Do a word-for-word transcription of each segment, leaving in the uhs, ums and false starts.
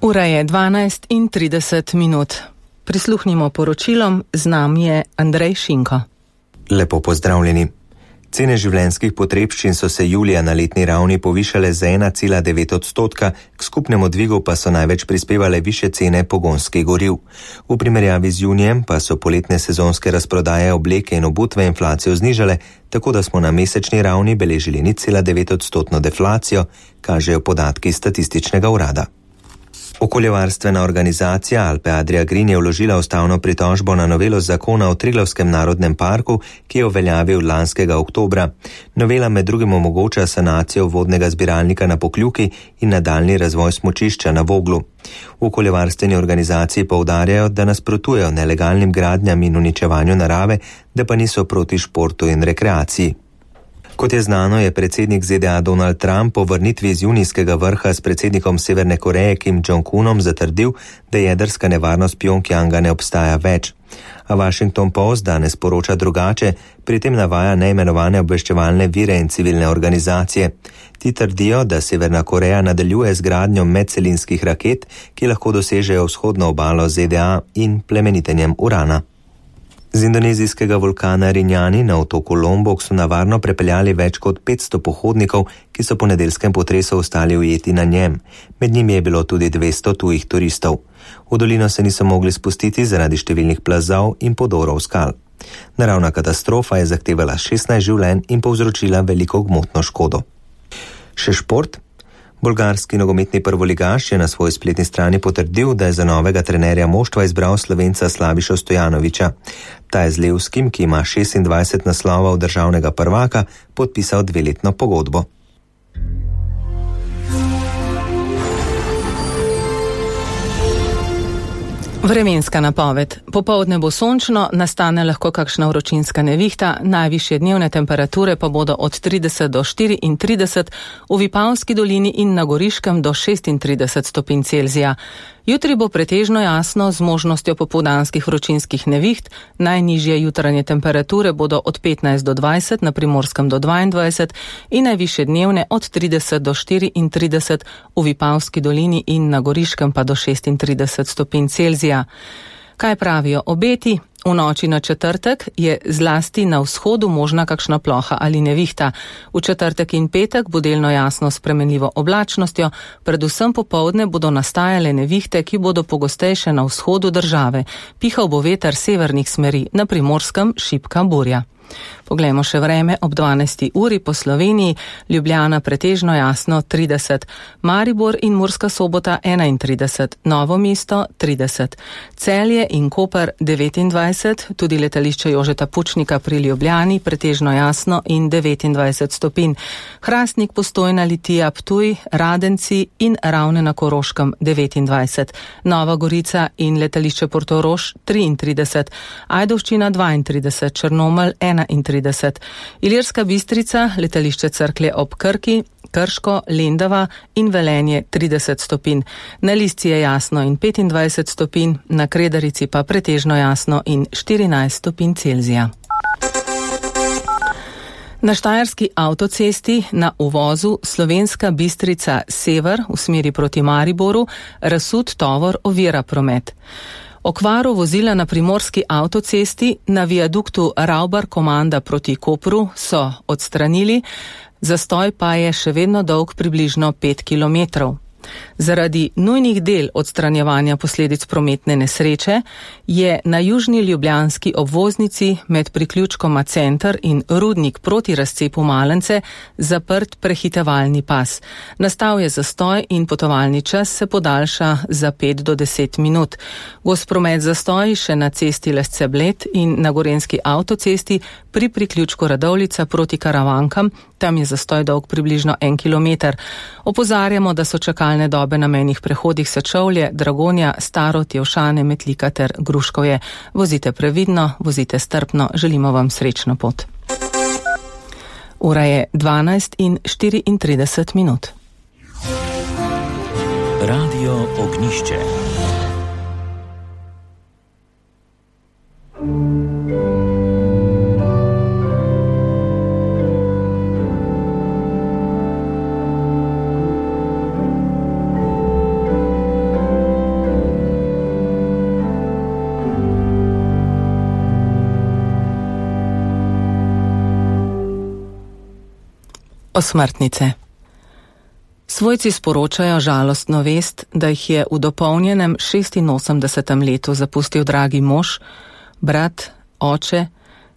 Ura je dvanajst in trideset minut. Prisluhnimo poročilom, z nami je Andrej Šinko. Lepo pozdravljeni. Cene življenjskih potrebščin so se julija na letni ravni povišale za ena cela devet odstotka, k skupnemu dvigu pa so največ prispevale više cene pogonskih goriv. V primerjavi z junijem pa so poletne sezonske razprodaje obleke in obutve inflacijo znižale, tako da smo na mesečni ravni beležili nič cela devet odstotno deflacijo, kažejo podatki statističnega urada. Okoljevarstvena organizacija Alpe Adria Green je vložila ustavno pritožbo na novelo zakona o Triglavskem narodnem parku, ki je uveljavil lanskega oktobra. Novela med drugim omogoča sanacijo vodnega zbiralnika na Pokljuki in nadaljnji razvoj smučišča na Voglu. V okoljevarstveni organizaciji poudarjajo, da nasprotujejo nelegalnim gradnjam in uničevanju narave, da pa niso proti športu in rekreaciji. Kot je znano, je predsednik Z D A Donald Trump po vrnitvi iz junijskega vrha s predsednikom Severne Koreje Kim Jong-unom zatrdil, da jedrska nevarnost Pjongjanga ne obstaja več. A Washington Post danes poroča drugače, pri tem navaja neimenovane obveščevalne vire in civilne organizacije. Ti trdijo, da Severna Koreja nadaljuje z gradnjo medcelinskih raket, ki lahko dosežejo vzhodno obalo Z D A in plemenitenjem urana. Z indonezijskega vulkana Rinjani na otoku Lombok so na varno prepeljali več kot petsto pohodnikov, ki so po nedeljskem potresu ostali ujeti na njem. Med njimi je bilo tudi dvesto tujih turistov. V dolino se niso mogli spustiti zaradi številnih plazov in podorov skal. Naravna katastrofa je zahtevala šestnajst življenj in povzročila veliko gmotno škodo. Še šport. Bolgarski nogometni prvoligaš je na svoji spletni strani potrdil, da je za novega trenerja moštva izbral Slovenca Slavišo Stojanovića. Ta je z Levskim, ki ima šestindvajset naslovov državnega prvaka, podpisal dveletno pogodbo. Vremenska napoved. Popoldne bo sončno, nastane lahko kakšna vročinska nevihta, najvišje dnevne temperature pa bodo od trideset do štiriintrideset, v Vipavski dolini in na Goriškem do šestintrideset stopinj Celzija. Jutri bo pretežno jasno z možnostjo popoldanskih vročinskih neviht, najnižje jutranje temperature bodo od petnajst do dvajset, na Primorskem do dvaindvajset in najvišje dnevne od trideset do štiriintrideset, v Vipavski dolini in na Goriškem pa do šestintrideset stopinj Celzija. Kaj pravijo obeti? V noči na četrtek je zlasti na vzhodu možna kakšna ploha ali nevihta. V četrtek in petek bo delno jasno s spremenljivo oblačnostjo, predvsem popoldne bodo nastajale nevihte, ki bodo pogostejše na vzhodu države. Pihal bo veter severnih smeri, na Primorskem šibka burja. Poglejmo še vreme ob dvanajsti uri po Sloveniji, Ljubljana pretežno jasno trideset, Maribor in Murska Sobota enaintrideset, Novo mesto trideset, Celje in Koper devetindvajset, tudi letališče Jožeta Pučnika pri Ljubljani pretežno jasno in devetindvajset stopinj, Hrastnik, Postojna, Litija, Ptuj, Radenci in Ravne na Koroškem devetindvajset, Nova Gorica in letališče Portorož triintrideset, Ajdovščina dvaintrideset, Črnomelj enaintrideset, Ilirska Bistrica, letališče Cerklje ob Krki, Krško, Lendava in Velenje trideset stopinj. Na Lisci je jasno in petindvajset stopinj, na Kredarici pa pretežno jasno in štirinajst stopinj Celzija. Na štajerski avtocesti na uvozu Slovenska Bistrica sever v smeri proti Mariboru razsut tovor ovira promet. Okvaro vozila na primorski avtocesti na viaduktu Ravbar Komanda proti Kopru so odstranili, zastoj pa je še vedno dolg približno pet kilometrov. Zaradi nujnih del odstranjevanja posledic prometne nesreče je na južni ljubljanski obvoznici med priključkoma Center in Rudnik proti razcepu Malence zaprt prehitevalni pas. Nastal je zastoj in potovalni čas se podaljša za pet do deset minut. Gost promet zastoj še na cesti Lesce-Bled in na gorenski avtocesti pri priključku Radovljica proti Karavankam, tam je zastoj dolg približno en kilometer. Opozarjamo, da so čakalne dobe na mejnih prehodih Sečovlje, Dragonja, Starod, Jevšane, Metlika ter Gruškovje. Vozite previdno, vozite strpno, želimo vam srečno pot. Ura je dvanajst in štiriintrideset minut. Radio Ognišče. Osmrtnice. Svojci sporočajo žalostno vest, da jih je v dopolnjenem šestinosemdesetem letu zapustil dragi mož, brat, oče,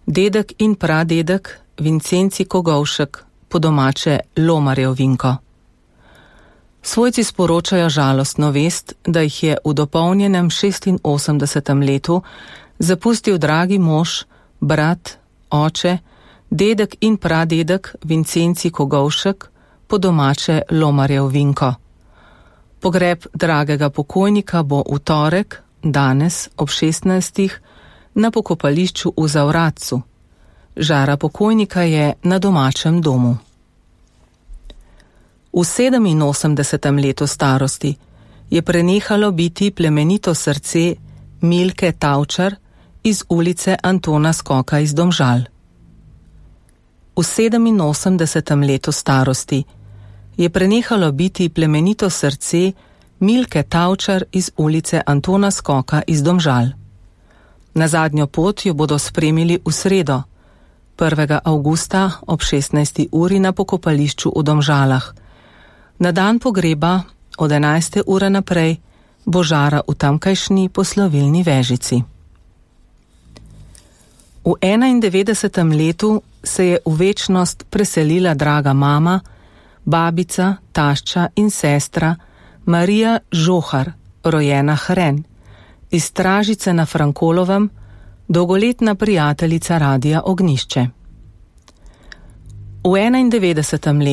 dedek in pradedek Vincenci Kogovšek, po domače Lomarjev Vinko. Svojci sporočajo žalostno vest, da jih je v dopolnjenem šestinosemdesetem letu zapustil dragi mož, brat, oče, dedek in pradedek Vincenci Kogovšek, po domače Lomarjev Vinko. Pogreb dragega pokojnika bo v torek, danes ob šestnajstih, na pokopališču v Zavratcu. Žara pokojnika je na domačem domu. V sedeminosemdesetem letu starosti je prenehalo biti plemenito srce Milke Tavčar iz ulice Antona Skoka iz Domžal. V sedeminosemdesetem letu starosti je prenehalo biti plemenito srce Milke Tavčar iz ulice Antona Skoka iz Domžal. Na zadnjo pot jo bodo spremili v sredo, prvega avgusta ob šestnajsti uri na pokopališču v Domžalah. Na dan pogreba od enajste ure naprej bo žara v tamkajšnji poslovilni vežici. V enaindevetdesetem letu se je v večnost preselila draga mama, babica, tašča in sestra Marija Žohar, rojena Hren, iz Stražice na Frankolovem, dolgoletna prijateljica Radia Ognjišče. V enaindevetdesetem letu